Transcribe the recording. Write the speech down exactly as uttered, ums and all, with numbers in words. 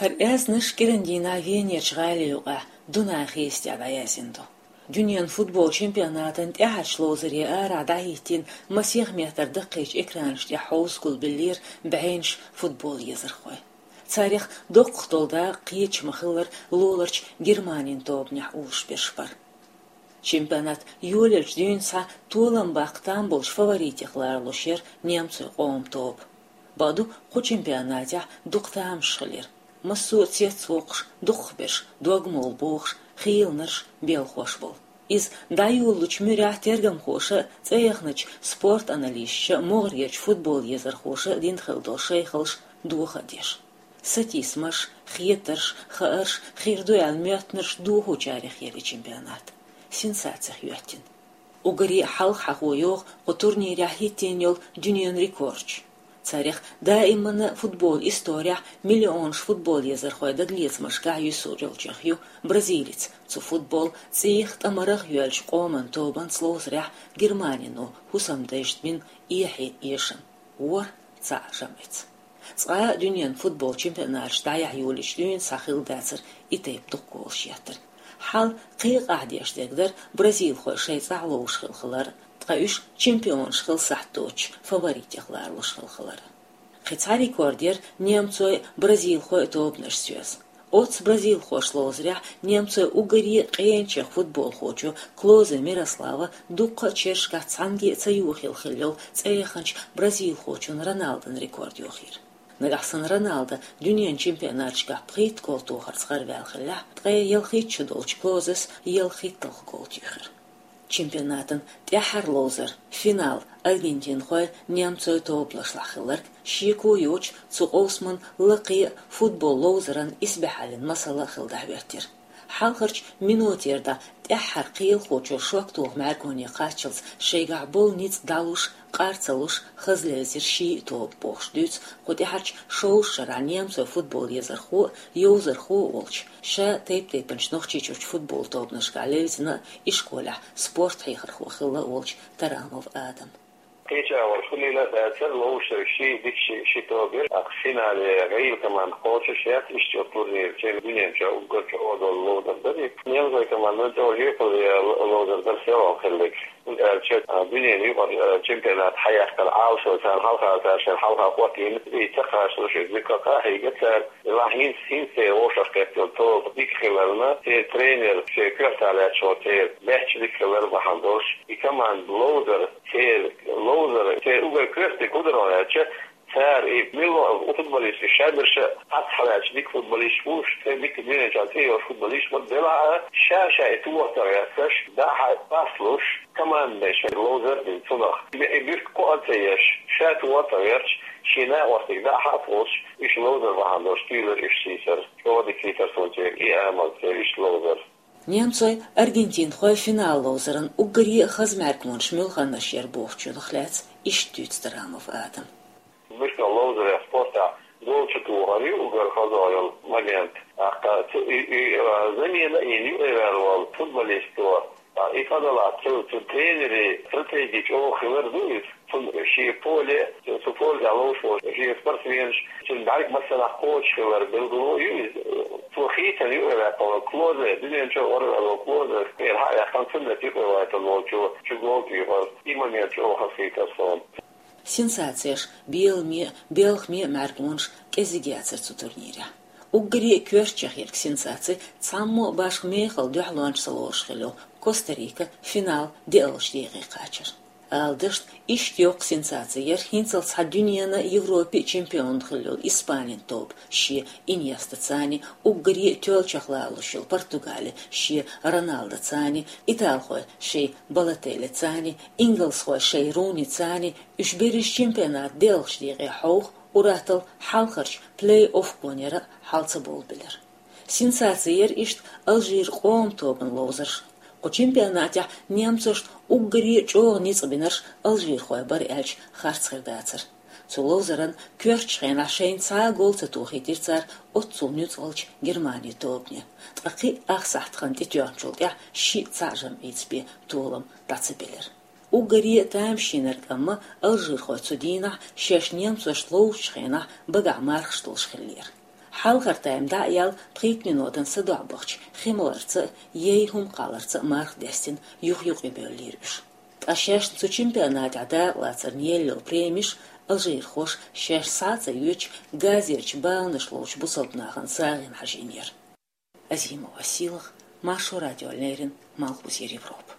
ХӀара аьзнаш кӀирандийнахьа Венерчу гӀали юкъахь Дунай хийца тӀехь дӀаяьзна ду. Дуьненан футбол чемпионатан тӀаьхьарчу ловзаре арахь дӀахӀиттийна масех метр даккхийчу экранаш тӀехь хьовса гулбеллера бӀеннаш футбол езархой. Царех доккхах долу дакъа кхечу ма-хиллара лоларчу Германин тобанехь олуш берш бара. Чемпионат йолаелчу дуьйна схьа толам баккха там болчу фаворитех ларалуш яра немцойн къоман тоба. Бакъду, кху чемпионатехь дукха тамашаш хилира. Массо а цецвоккхуш, дукхахберш, догмалла бохуш, хийланарш, белхош болу. Иза дӀайолалучу муьрехь тергамхоша а, цӀеяхначу спорт аналисташа а, могӀарерчу футбол езархоша а дина хилла долу шайхаллаш доха а деш. Сатийсамаш, хетарш, хаарш, хир ду аьлла моьттинарш дохучарех яра и чемпионат. Сенсацех йоьттина. Уггаре а хьалха хьахо йогӀу кху турнирехь хӀиттийна йолу дуьненан рекордаш. Царех даиманна футбол исторехь миллионаш футбол езархой дагалецамашкахь юьсур йолчех ю бразилец, цу футбол цӀийх, тӀамарах йоьллачу къоман тобанца ловзарехь Германино хӀусамдайшна бина эхье эшам. ВорхӀ цхьаъ жамӀица. Цкъа а дуьненан футбол чемпионаташ дӀаяхьа йолийчу дуьйна схьа хилла дацара и тайпа дуккха голаш еттар. Хьал кхин а къаьхьа деш дерг дара бразилхой шайн цӀахь ловзуш хилла хилар, ткъа уьш чемпионаш хила сахьт доцучу фаворитех ларалуш хилла хилар. Кхин цхьа рекорд яра немцойн а, бразилхойн а тобанаш соьза. Оццу бразилхошца ловзарехь немцойн уггаре а къеначех футболхочо Клозе Мирослава дуккха а чергашкахь цхьаьнгге а ца йохийла хилла йолу цӀеяханчу бразилхочун Роналдон рекорд йохийра. Нагахь санна Роналдо дуьненан чемпионаташкахь пхийтта гол тохарца гӀараваьлла хиллехь, ткъе ялхитта шо долчу Клозес ялхитталгӀа гол туьйхира. Чемпионатан тӀаьххьара ловзар, финал, аргентинхойн, немцойн тобанашлахь хилларг, шеко йоцуш, цу къовсаман лакхе а футбол ловзаран исбаьхьаллин масала а хилла дӀахӀоьттира. Хьалхарчу минотера дӀа тӀаьххьара кхелахочо шок тоху мӀаьргоне кхаччалц шайгахь болу ницкъ дӀалуш, къар ца луш, хаза левзира ши а тоба бохуш дуьйцу кху тӀаьхьарчу шовзткъа шарахь немцойн футбол езархо а, йовзархо а волчу, ша тайп-тайпанчу Нохчийчуьрчу футбол тобанашкахь левзина а, ишколехь спорт хьехархо хилла а волчу Тарамов Адама. Кхечахьа вара хуьлийла а дацара, ловзуш ши дика ши, ши тоба яра. Финале гӀийла команда кхочуш яц, иштта йолу турнир, чемпионатан дуьнен чохь уггар чӀогӀа долу ловзар дара. Немцойн командана чӀогӀа жоьпалле ловзар дара селхана хилларг. ХӀунда аьлча, а, дуьненан юкъара, а, чемпионат хьаяккхар Ӏалашо царна хьалха, цара шайна хьалха хӀоттийна, и ца кхачалуш, иза дика къахьийга цара. Делахь хӀинца, хӀинца церан вовшахкхетта йолу тоба дика хиларна, церан тренер шен коьрта лаьтташ волу, церан баьчча дика хилар бахьана долуш, и команда ловзар, церан ловзар, церан уггар коьртаниг хӀун дара аьлча, цара и милла а футболист, и шаберш а хьац хьалаьцча дика футболист бу уьш, церан дика дуьнен чохь цӀе йолуш футболист бу, делахь а ша-ша и тохар ца гӀерташ, дӀа-хьа пас луш, командана шайн ловзар а дина цунах. И буьрка кхоа а ца еш, ша тохар ца гӀерташ, шен накъостиг дӀа-хьа а волуш, уьш ловзар бахьана долуш туьйлира уьш сийсара. ЧӀогӀа дика хийтар суна церан и амал, церан иштта ловзар. Немцойн, аргентинхойн финал ловзаран уггаре а хаза мӀаьргонаш муьлханаш яра бохучунах лаьцна иштта дуьйцу Тарамов Адама. Муьлхха ловзарех спортехь гол чу тухар ю уггар хаза йолу момент. ТӀаккха цу и, и, а, замена а йина юкъе ваьлла волу футболисто, а, и къа далахь цу, цу тренеран стратеги чӀогӀа хилар ду иза. Цунна шен поле, цу поле тӀехь ловзуш волу шен спортсменаш, цуьнан бӀаьрг массанхьа кхочуш хилар билгало а ю иза. Цо хийцина юкъе ваьккхина волу Клозе, дуьнен чу гӀараваьлла волу Клозе, церан хьа а ваьккхина, цунна юкъе ваийтина волчо чу гол туьйхира. И момент чӀогӀа хазахийтар суна. Сенсацеш, беламе а, белхаме а мӀаьргонаш кӀезиг яцара цу турнирехь. Уггаре а коьртачех ерг сенсаци цхьаммо а башха мехала дуьхьалонча ца лоруш хилла йолу Коста-Рика финал деалгӀачу декъе кхачар. Ала дашна, иштта йоккха сенсаци яра хӀинцалц схьа дуьненан а, Европин а чемпион хилла йолу Испанин тоба шен Иньестацани, уггаре а тоьллачех ларалуш йолу Португали шен Роналдоцани, италхой шайн Балотеллицани, ингалсхой шайн Руницани, уьш берриш чемпионат деалгӀачу декъе хьовха, ур-атталла хьалхарчу плей-офф гонера а хьал ца бовлабелира. Сенсаци яра иштта Алжиран къоман тобанан ловзарш. Кху чемпионатехь немцошна уггаре а чӀогӀа ницкъ бинарш алжирхой бара аьлча, харц хир дацара. Цу ловзаран коьртачу хенахь шайна цхьа а гол ца тухийтира цара оццул нуьцкъалчу Германин тобане. Ткъа кхин а ах сахьт хан тӀетоьхначул тӀаьхьа шиъ цхьаъ жамӀица бен толам дӀа ца белира. Уггаре а тамашийнарг амма алжирхой цу дийнахь шаьш немцошна ловзучу хенахь багахь мархаш долуш хиллера. Хьалхара тайм дӀа а яьлла, пхийтта минотана са дохьбахча хи маларца а, яй хӀума кхалларца а марха даьстина, юх-юкъе бевллера уьш. Ткъа шаьшна цу чемпионатехь дакъалацарна елла премеш алжирхоша шаьш схьа а ца йоьдуш, газерчу баланаш ловчу бусалба нахана сагӀина хьажийнера. Азимова Сийлаха, Маршо радиона леррина, Малхбузера Европа.